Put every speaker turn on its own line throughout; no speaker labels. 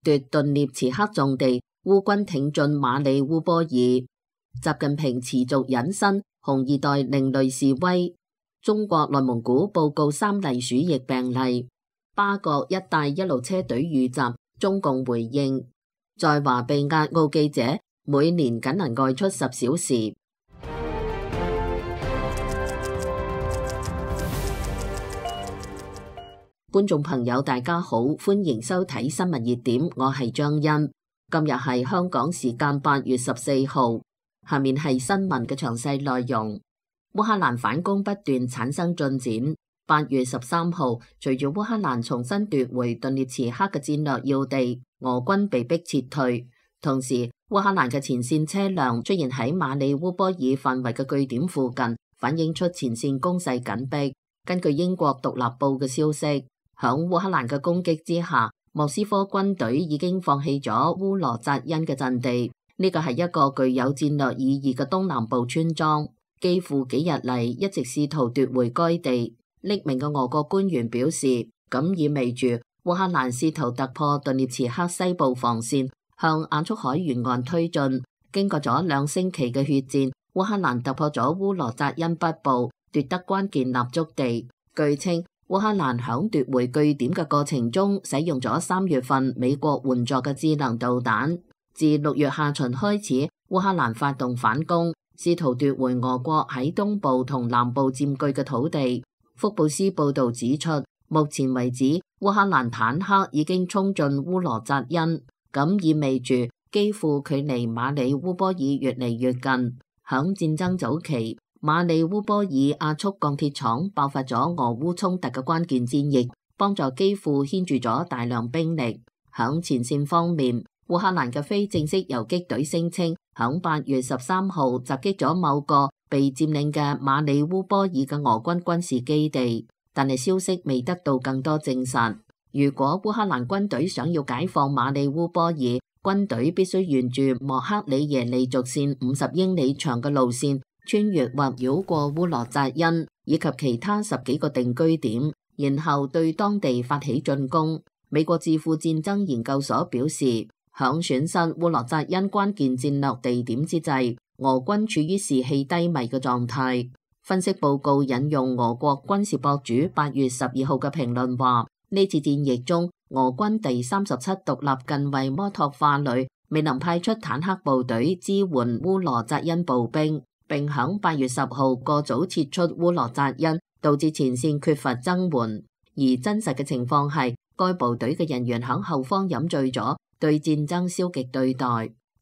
奪頓涅茨克重地，烏軍挺進馬里烏波爾。習近平持續引申紅二代另類示威。中國內蒙古報告3例鼠疫病例。巴國一帶一路車隊遇襲，中共回應。在華被押澳記者每年僅能外出10小時。觀眾朋友大家好，歡迎收睇新聞熱點，我係張欣。今日係香港時間8月14號，下面係新聞嘅詳細內容。烏克蘭反攻不斷產生進展。8月13號，隨住烏克蘭重新奪回頓涅茨克嘅戰略要地，俄軍被迫撤退。同時，烏克蘭嘅前線車輛出現喺馬里烏波爾範圍嘅據點附近，反映出前線攻勢緊迫。根據英國獨立報嘅消息，響烏克蘭嘅攻擊之下，莫斯科軍隊已經放棄咗烏羅扎恩嘅陣地。呢個係一個具有戰略意義嘅東南部村莊，幾乎幾日嚟一直試圖奪回該地。匿名嘅俄國官員表示，咁意味住烏克蘭試圖突破頓涅茨克西部防線，向亞速海沿岸推進。經過咗2星期嘅血戰，烏克蘭突破咗烏羅扎恩北部，奪得關鍵立足地。據稱，烏克蘭響奪回據點嘅過程中，使用咗3月份美國援助嘅智能導彈。自6月下旬開始，烏克蘭發動反攻，試圖奪回俄國喺東部同南部佔據嘅土地。福布斯報道指出，目前為止，烏克蘭坦克已經衝進烏羅扎恩，咁意味住幾乎距離馬里烏波爾越嚟越近。響戰爭早期，馬里烏波爾亞速鋼鐵廠爆發咗俄烏衝突嘅關鍵戰役，幫助基輔牽住咗大量兵力。響前線方面，烏克蘭嘅非正式游擊隊聲稱，響8月13號襲擊咗某個被佔領嘅馬里烏波爾嘅俄軍軍事基地，但係消息未得到更多證實。如果烏克蘭軍隊想要解放馬里烏波爾，軍隊必須沿住莫克里耶利軸線50英里長嘅路線，穿越或繞過烏羅扎恩以及其他10幾個定居點，然後對當地發起進攻。美國智庫戰爭研究所表示，響損失烏羅扎恩關鍵戰略地點之際，俄軍處於士氣低迷嘅狀態。分析報告引用俄國軍事博主8月12號嘅評論話，呢次戰役中，俄軍第37獨立近衛摩托化旅未能派出坦克部隊支援烏羅扎恩步兵，並響8月10號過早撤出烏羅扎恩，導致前線缺乏增援。而真實嘅情況係，該部隊嘅人員響後方飲醉咗，對戰爭消極對待。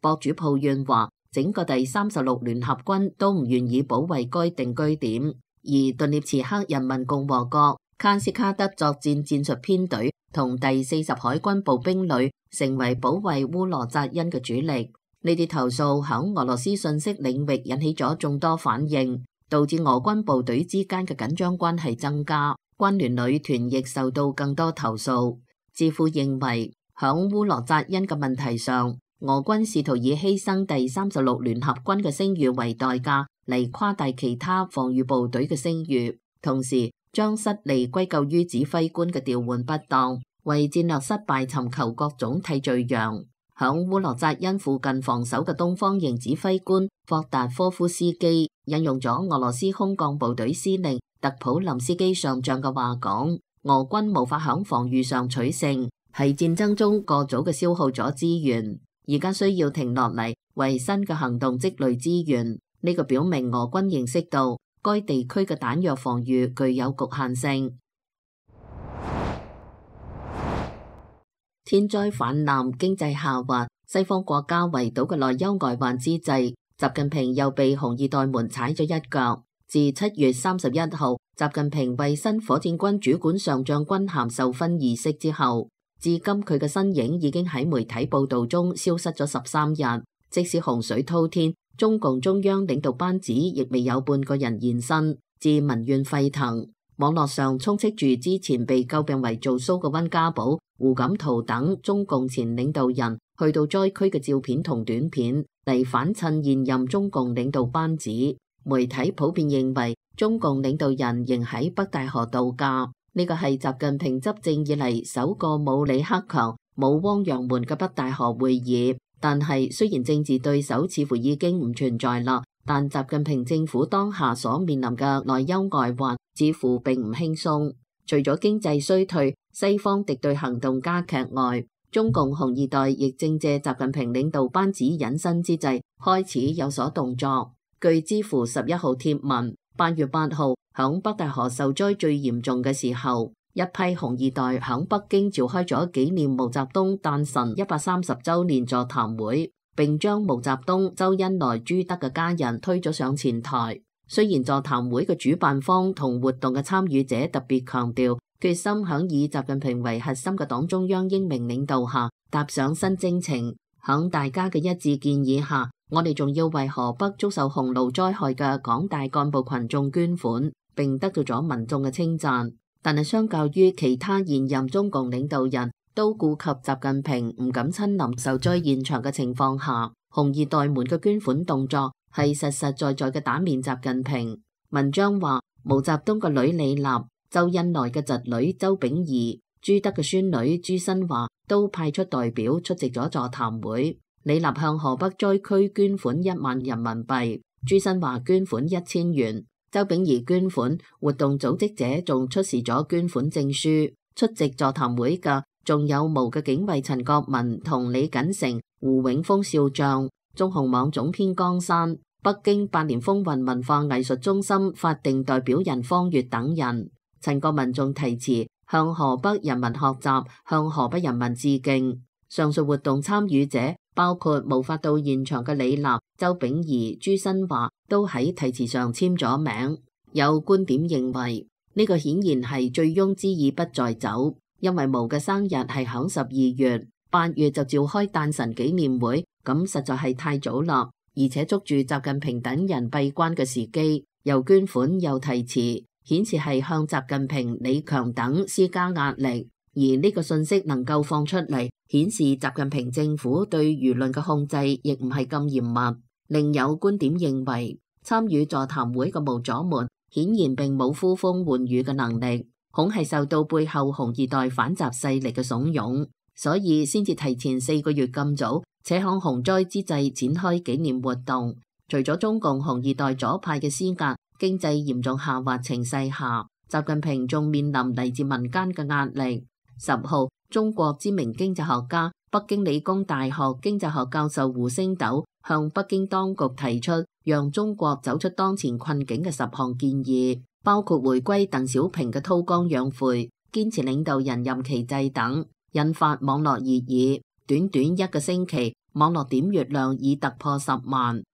博主抱怨話，整個第36聯合軍都唔願意保衛該定居點，而頓涅茨克人民共和國卡斯卡德作戰戰術編隊同第40海軍步兵旅成為保衛烏羅扎恩嘅主力。呢啲投訴響俄羅斯信息領域引起咗眾多反應，導致俄軍部隊之間嘅緊張關係增加。軍聯女團亦受到更多投訴。智庫認為，響烏羅扎恩嘅問題上，俄軍試圖以犧牲第36聯合軍嘅聲譽為代價嚟誇大其他防禦部隊嘅聲譽，同時將失利歸咎於指揮官嘅調換不當，為戰略失敗尋求各種替罪羊。響烏羅扎恩附近防守嘅東方營指揮官霍達科夫斯基引用咗俄羅斯空降部隊司令特普林斯基上將嘅話講，俄軍無法響防禦上取勝，喺戰爭中過早嘅消耗咗資源，而家需要停落嚟為新嘅行動積累資源。呢個表明俄軍認識到該地區嘅彈藥防禦具有局限性。天災泛濫、經濟下滑，西方國家圍堵嘅內憂外患之際，習近平又被紅二代們踩咗一腳。自7月31號，習近平為新火箭軍主管上將軍銜授勳儀式之後，至今佢嘅身影已經喺媒體報道中消失咗13日。即使洪水滔天，中共中央領導班子亦未有半個人現身，致民怨沸騰。網絡上充斥住之前被詬病為做 show 嘅溫家寶、胡錦濤等中共前領導人去到災區嘅照片同短片，嚟反襯現任中共領導班子。媒體普遍認為中共領導人仍喺北戴河度假，呢個係習近平執政以嚟首個冇李克強、冇汪洋門嘅北大河會議。但係雖然政治對手似乎已經唔存在啦，但習近平政府當下所面臨嘅內憂外患似乎並唔輕鬆。除咗經濟衰退、西方敵對行動加劇外，中共紅二代亦正借習近平領導班子隱身之際開始有所動作。據知乎11號貼文，8月8號響北大河受災最嚴重嘅時候，一批紅二代響北京召開咗紀念毛澤東誕辰130週年座談會，並將毛澤東、周恩來、朱德嘅家人推咗上前台。雖然座談會嘅主辦方同活動嘅參與者特別強調，決心響以習近平為核心嘅黨中央英明領導下踏上新征程。響大家嘅一致建議下，我哋仲要為河北遭受洪澇災害嘅廣大幹部群眾捐款，並得到咗民眾嘅稱讚。但係相較於其他現任中共領導人都顧及習近平唔敢親臨受災現場嘅情況下，紅二代們嘅捐款動作係實實在在嘅打面習近平。文章話，毛澤東嘅女李立、周恩來嘅侄女周秉儀、朱德嘅孫女朱新華都派出代表出席咗座談會。李立向河北災區捐款1萬人民幣，朱新華捐款1000元。周秉儀捐款，活動組織者仲出示咗捐款證書。出席座談會嘅仲有毛嘅警衛陳國民同李錦成、胡永峰少將、中紅網總編江山、北京百年風雲文化藝術中心法定代表人方月等人。陳國民仲題詞向河北人民學習，向河北人民致敬。上述活動參與者包括無法到現場嘅李立、周秉儀、朱新華都喺題詞上簽咗名。有觀點認為呢個顯然係醉翁之意不在酒，因為毛嘅生日係響12月，8月就召開誕辰紀念會，咁實在係太早啦，而且捉住習近平等人閉關嘅時機，又捐款又題詞，顯示係向習近平、李強等施加壓力。而呢個信息能夠放出嚟，顯示習近平政府對輿論嘅控制亦唔係咁嚴密。另有觀點認為，參與座談會嘅毛左們顯然並冇呼風喚雨嘅能力，恐係受到背後紅二代反習勢力嘅慫恿，所以先至提前4個月咁早，且響洪災之際展開紀念活動。除咗中共紅二代左派嘅施壓，經濟嚴重下滑情勢下，習近平仲面臨嚟自民間嘅壓力。10號，中國知名經濟學家、北京理工大學經濟學教授胡星斗向北京當局提出讓中國走出當前困境嘅10項建議，包括回歸鄧小平嘅韜光養晦、堅持領導人任期制等，引發網絡熱議。短短1個星期，網絡點閱量已突破10萬。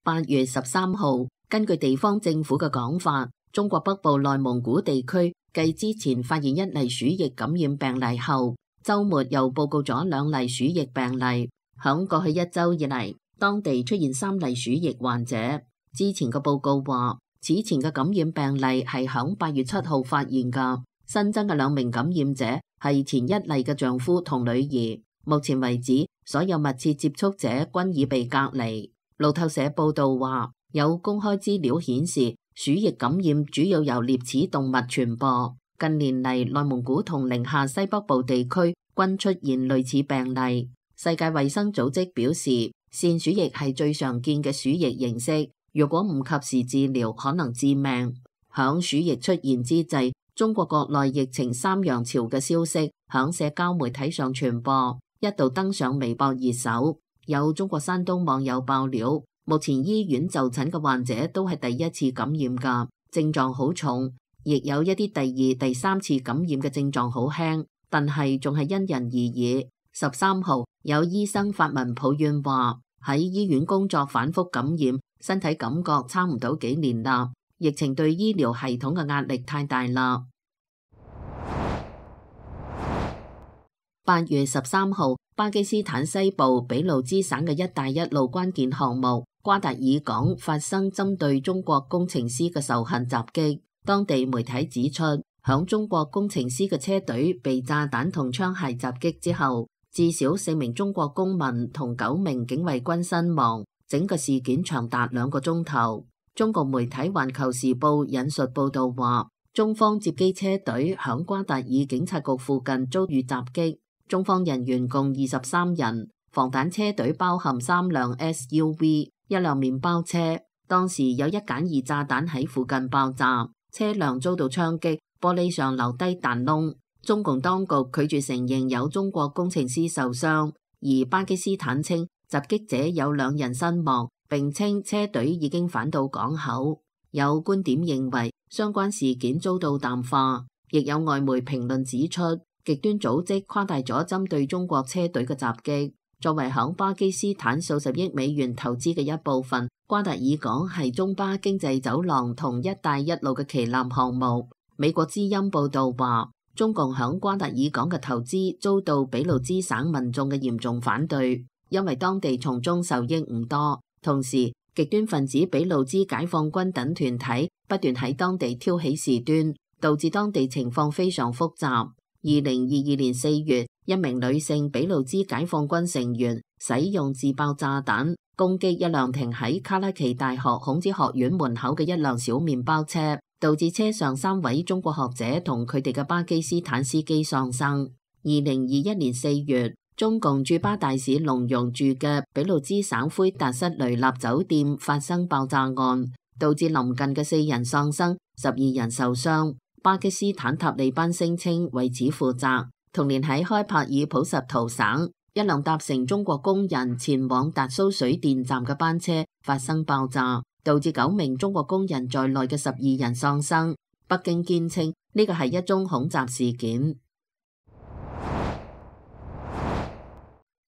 8月13號，根據地方政府嘅講法，中國北部內蒙古地區繼之前發現1例鼠疫感染病例後，週末又報告咗2例鼠疫病例。響過去1週以嚟，當地出現3例鼠疫患者。之前嘅報告話，此前嘅感染病例係響8月7號發現㗎。新增嘅2名感染者係前1例嘅丈夫同女兒。目前為止，所有密切接觸者均已被隔離。路透社報道話，有公開資料顯示，鼠疫感染主要由獵齒動物傳播。近年嚟，內蒙古同寧夏西北部地區均出現類似病例。世界衛生組織表示，腺鼠疫係最常見嘅鼠疫形式，如果唔及時治療，可能致命。響鼠疫出現之際，中國國內疫情3陽潮嘅消息響社交媒體上傳播，一度登上微博熱搜。有中國山東網友爆料，目前醫院就診嘅患者都係第1次感染㗎，症狀好重，亦有一啲第2、第3次感染嘅症狀好輕，但係仲係因人而異。13號，有醫生發文抱怨話，喺醫院工作反覆感染，身體感覺差唔多幾年啦，疫情對醫療系統嘅壓力太大啦。8月13號，巴基斯坦西部俾路支省嘅一帶一路關鍵項目瓜達爾港發生針對中國工程師嘅仇恨襲擊。當地媒體指出，響中國工程師嘅車隊被炸彈同槍械襲擊之後，至少4名中國公民同9名警衛軍身亡。整個事件長達2個鐘頭。中國媒體環球時報引述報道話，中方接機車隊響瓜達爾警察局附近遭遇襲擊，中方人員共23人，防彈車隊包含3輛 SUV、1輛麵包車。當時有一簡易炸彈喺附近爆炸，車輛遭到槍擊，玻璃上留低彈窿。中共當局拒絕承認有中國工程師受傷，而巴基斯坦稱襲擊者有2人身亡，並稱車隊已經返到港口。有觀點認為相關事件遭到淡化，亦有外媒評論指出，極端組織誇大咗針對中國車隊嘅襲擊。作為響巴基斯坦數十億美元投資嘅一部分，瓜達爾港係中巴經濟走廊同一帶一路嘅旗艦項目。美國之音報道話，中共響瓜達爾港嘅投資遭到俾路支省民眾嘅嚴重反對，因為當地從中受益唔多。同時，極端分子俾路支解放軍等團體不斷喺當地挑起事端，導致當地情況非常複雜。2022年4月，一名女性俾路支解放軍成員使用自爆炸彈攻擊一輛停喺卡拉奇大學孔子學院門口嘅一輛小麵包車，導致車上3位中國學者同佢哋嘅巴基斯坦司機喪生。2021年4月，中共駐巴大使龍容住嘅俾路支省奎達什雷納酒店發生爆炸案，導致臨近嘅4人喪生，12人受傷。巴基斯坦塔利班聲稱為此負責。同年喺開帕爾普什圖省，一輛搭乘中國工人前往達蘇水電站嘅班車發生爆炸，導致9名中國工人在內嘅12人喪生。北京堅稱呢個係一宗恐襲事件。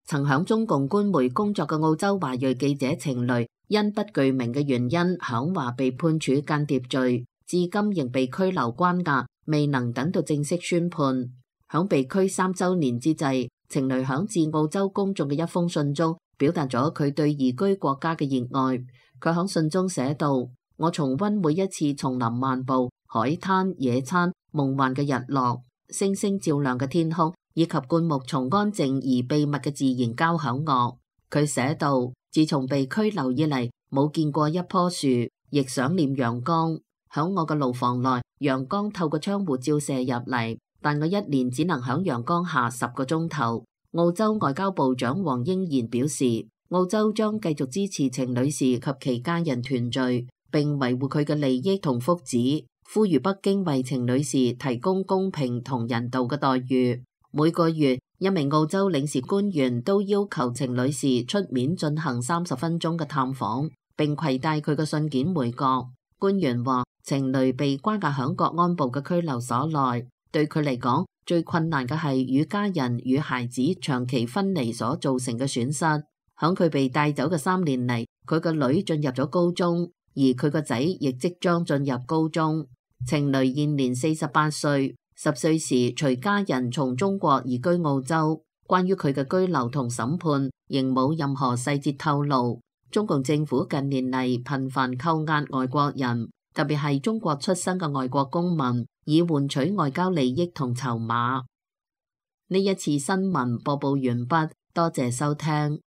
曾響中共官媒工作嘅澳洲華裔記者程雷，因不具名嘅原因響華被判處間諜罪，至今仍被拘留關押，未能等到正式宣判。響被拘3週年之際，程雷響致澳洲公眾嘅一封信中，表達咗佢對移居國家嘅熱愛。佢響信中寫道：我重溫每一次叢林漫步、海灘、野餐、夢幻嘅日落、星星照亮嘅天空，以及灌木叢安靜而秘密嘅自然交響樂。佢寫道：自從被拘留以嚟，冇見過一棵樹，亦想念陽光。響我嘅牢房內，陽光透過窗戶照射入嚟，但我一年只能響陽光下10個鐘頭。澳洲外交部長黃英賢表示，澳洲將繼續支持程女士及其家人團聚，並維護佢嘅利益同福祉，呼籲北京為程女士提供公平同人道嘅待遇。每個月，一名澳洲領事官員都要求程女士出面進行30分鐘嘅探訪，並攜帶佢嘅信件回國。官員話，程雷被關押響國安部嘅拘留所內，對佢嚟講，最困難嘅係與家人與孩子長期分離所造成嘅損失。響佢被帶走嘅3年嚟，佢個女進入咗高中，而佢個仔亦即將進入高中。程雷現年48歲，10歲時隨家人從中國移居澳洲。關於佢嘅居留同審判，仍冇任何細節透露。中共政府近年嚟頻繁扣押外國人，特別係中國出生嘅外國公民，以換取外交利益同籌碼。呢一次新聞播報完畢，多謝收聽。